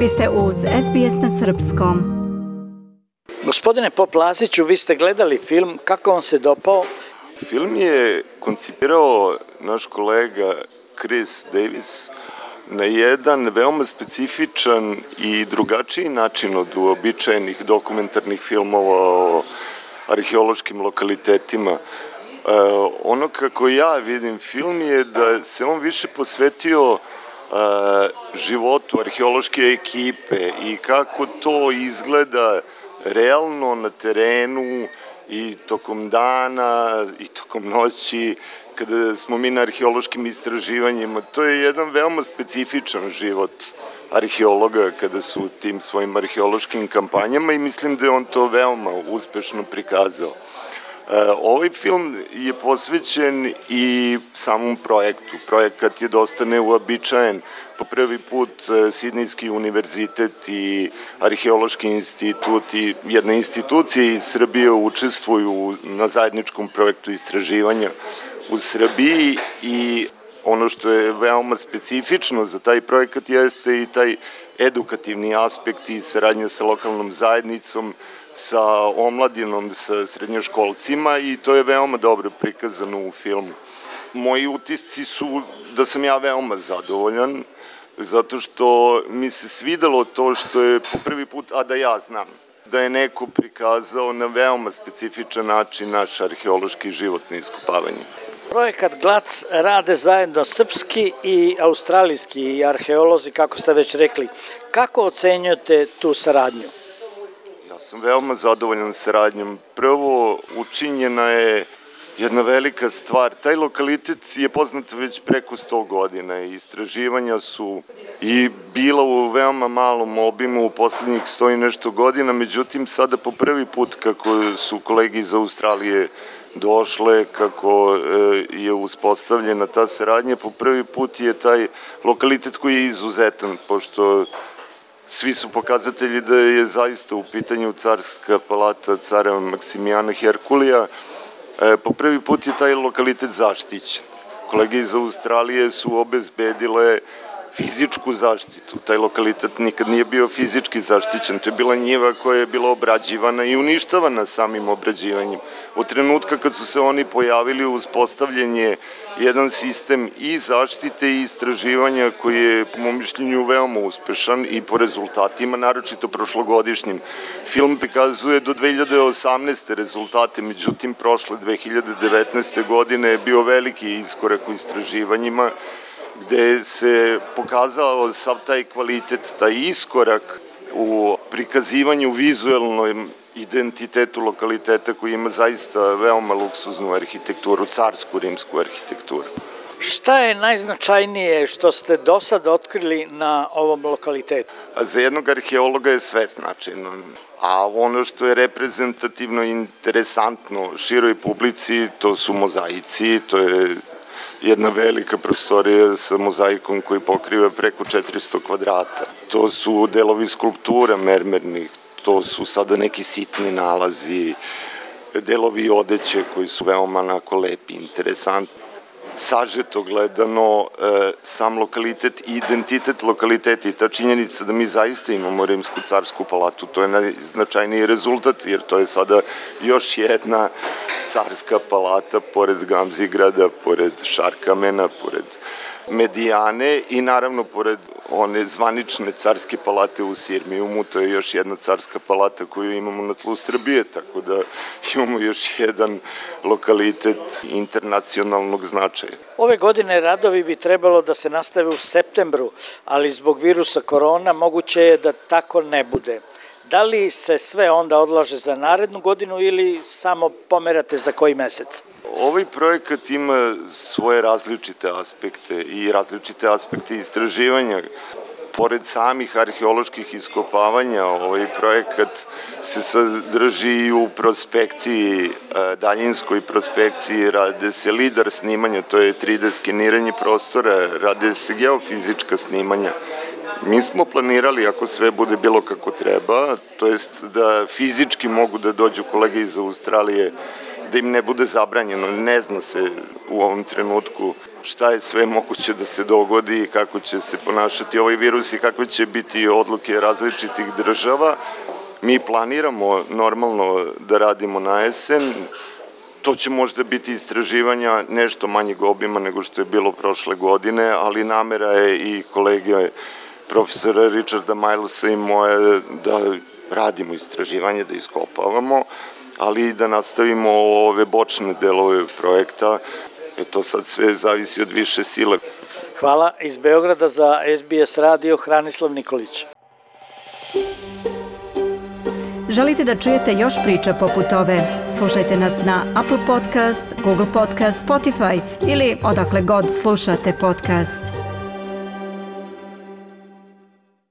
Vi ste uz SBS na srpskom. Gospodine Pop-Laziću, vi ste gledali film, kako vam se dopao? Film je koncipirao naš kolega Chris Davis na jedan veoma specifičan i drugačiji način od uobičajenih dokumentarnih filmova o arheološkim lokalitetima. Ono kako ja vidim film je da se on više posvetio životu arheološke ekipe i kako to izgleda realno na terenu i tokom dana i tokom noći kada smo mi na arheološkim istraživanjima. To je jedan veoma specifičan život arheologa kada su u tim svojim arheološkim kampanjama i mislim da je on to veoma uspešno prikazao. Ovaj film je posvećen i samom projektu. Projekat je dosta neuobičajen. Po prvi put Sidnejski univerzitet i Arheološki institut i jedna institucija iz Srbije učestvuju na zajedničkom projektu istraživanja u Srbiji i ono što je veoma specifično za taj projekat jeste i taj edukativni aspekt i saradnja sa lokalnom zajednicom, sa omladinom, sa srednjoškolcima i to je veoma dobro prikazano u filmu. Moji utisci su da sam ja veoma zadovoljan, zato što mi se svidelo to što je po prvi put, a da ja znam, da je neko prikazao na veoma specifičan način naš arheološki život na iskopavanju. Projekat GLAC rade zajedno srpski i australijski arheolozi, kako ste već rekli. Kako ocenjujete tu saradnju? Ja sam veoma zadovoljan saradnjom. Prvo, učinjena je jedna velika stvar. Taj lokalitet je poznat već preko 100 godina i istraživanja su i bila u veoma malom obimu u poslednjih 100 i nešto godina, međutim sada po prvi put kako su kolege iz Australije došle, kako je uspostavljena ta saradnja, po prvi put je taj lokalitet koji je izuzetan, pošto svi su pokazatelji da je zaista u pitanju carska palata cara Maksimijana Herkulija. Po prvi put je taj lokalitet zaštićen. Kolege iz Australije su obezbedile fizičku zaštitu. Taj lokalitet nikad nije bio fizički zaštićen. To je bila njiva koja je bila obrađivana i uništavana samim obrađivanjem. Od trenutka kad su se oni pojavili, uspostavljen je jedan sistem i zaštite i istraživanja koji je, po mom mišljenju, veoma uspešan i po rezultatima, naročito prošlogodišnjim. Film prikazuje do 2018. rezultate, međutim, prošle 2019. godine je bio veliki iskorak u istraživanjima, gde se pokazao sav taj kvalitet, taj iskorak u prikazivanju vizuelnom identitetu lokaliteta koji ima zaista veoma luksuznu arhitekturu, carsku rimsku arhitekturu. Šta je najznačajnije što ste do sad otkrili na ovom lokalitetu? Za jednog arheologa je sve značajno, a ono što je reprezentativno i interesantno široj publici, to su mozaici, to je jedna velika prostorija sa mozaikom koji pokriva preko 400 kvadrata. To su delovi skulptura mermernih, to su sada neki sitni nalazi, delovi odeće koji su veoma onako lepi, interesantni. Sažeto gledano, sam lokalitet i identitet lokaliteta i ta činjenica da mi zaista imamo rimsku carsku palatu, to je najznačajniji rezultat, jer to je sada još jedna carska palata pored Gamzigrada, pored Šarkamena, pored Medijane i naravno pored one zvanične carske palate u Sirmijumu, to je još jedna carska palata koju imamo na tlu Srbije, tako da imamo još jedan lokalitet internacionalnog značaja. Ove godine radovi bi trebalo da se nastave u septembru, ali zbog virusa korona moguće je da tako ne bude. Da li se sve onda odlaže za narednu godinu ili samo pomerate za koji mesec? Ovaj projekat ima svoje različite aspekte i različite aspekte istraživanja. Pored samih arheoloških iskopavanja, ovaj projekat se sadrži i u prospekciji, daljinskoj prospekciji, rade se lidar snimanja, to je 3D skeniranje prostora, rade se geofizička snimanja. Mi smo planirali, ako sve bude bilo kako treba, to jest da fizički mogu da dođu kolege iz Australije da im ne bude zabranjeno. Ne zna se u ovom trenutku šta je sve moguće da se dogodi i kako će se ponašati ovaj virus i kako će biti odluke različitih država. Mi planiramo normalno da radimo na jesen. To će možda biti istraživanja nešto manjeg obima nego što je bilo prošle godine, ali namera je i kolege profesora Richarda Milesa i moje da radimo istraživanje, da iskopavamo, ali i da nastavimo ove bočne delove projekta. To sad sve zavisi od više sile. Hvala. Iz Beograda za SBS radio Hranislav Nikolić. Želite da čujete još priča poput ove? Slušajte nas na Apple Podcast, Google Podcast, Spotify ili odakle god slušate podcast.